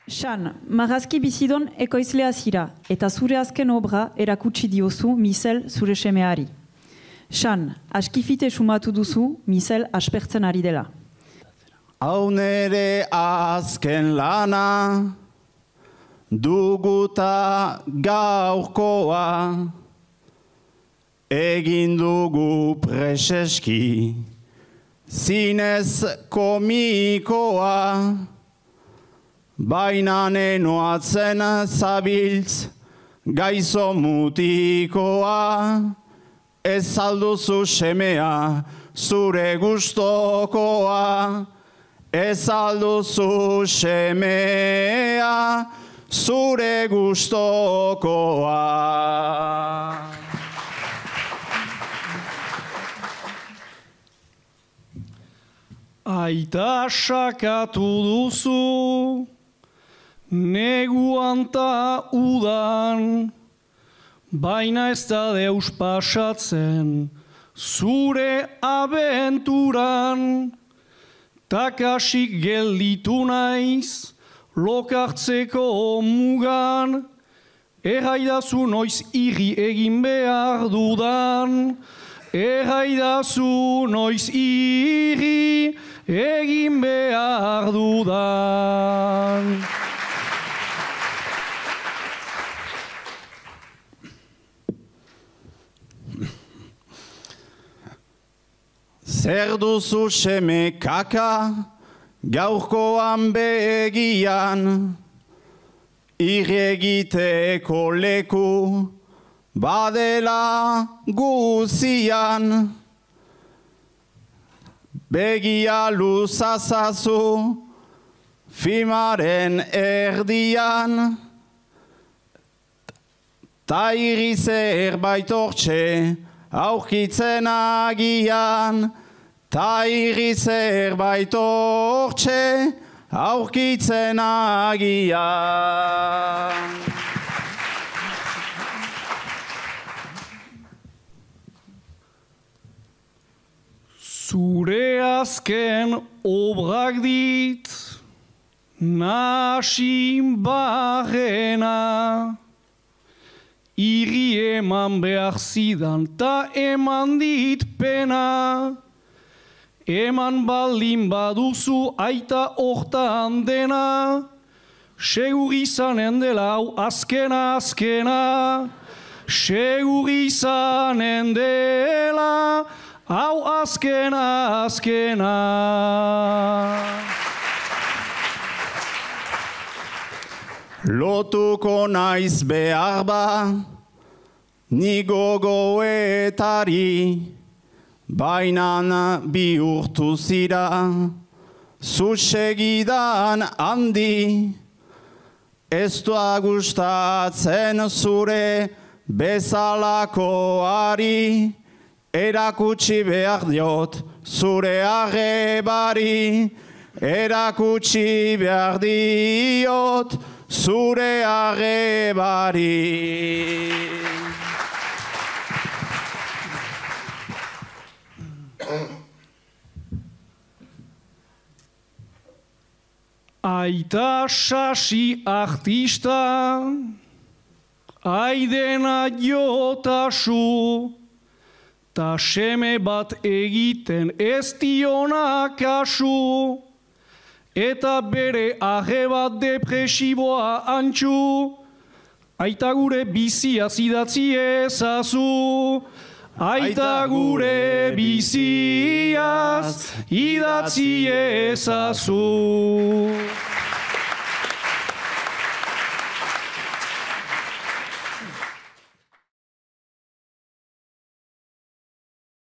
Xan, marrazki bizidon ekoizlea zira, eta zure azken obra erakutsi diozu Misel zure semeari. Xan, askifite sumatu duzu Misel aspertzen ari dela. Hau nere azken lana, duguta gaurkoa, egin dugu preseski, zinez komikoa, baina nenoatzen zabiltz gaizo mutikoa, ez alduzu semea zure gustokoa, ez alduzu semea zure gustokoa. Aita sakatu duzu, neguan ta udan, baina ez da deus pasatzen zure abenturan. Takasik gelditu naiz, lokartzeko mugan, erraidazu noiz irri egin behar dudan, erraidazu noiz irri egin behar dudan. Zer duzu seme kaka, gaurkoan begian, irregiteko leku, badela guzian. Begia luzazazu, filmaren erdian, ta irri zerbait hortxe, aurkitzen agian, ta irri zerbait hortxe, aurkitzen agian. Zure azken obrak dit, nasin barrena, irri eman behar zidan ta eman dit pena. Eman baldin baduzu aita hortan dena, segur izanen dela hau azkena. Segur izanen dela hau azkena. Lotuko naiz behar ba, ni gogoetari, bainan bihurtu zira, zu segidan handi, ez da gustatzen zure bezalakoari, erakutsi behar diot zure arrebari, erakutsi behar diot zure arrebari. Aita sasi artista, aidena jotasu, ta seme bat egiten ez diona kasu, eta bere arre bat depresiboa antxu, aita gure bizia zidatzi ezazu. Aita gure biziaz idatzi ezazu.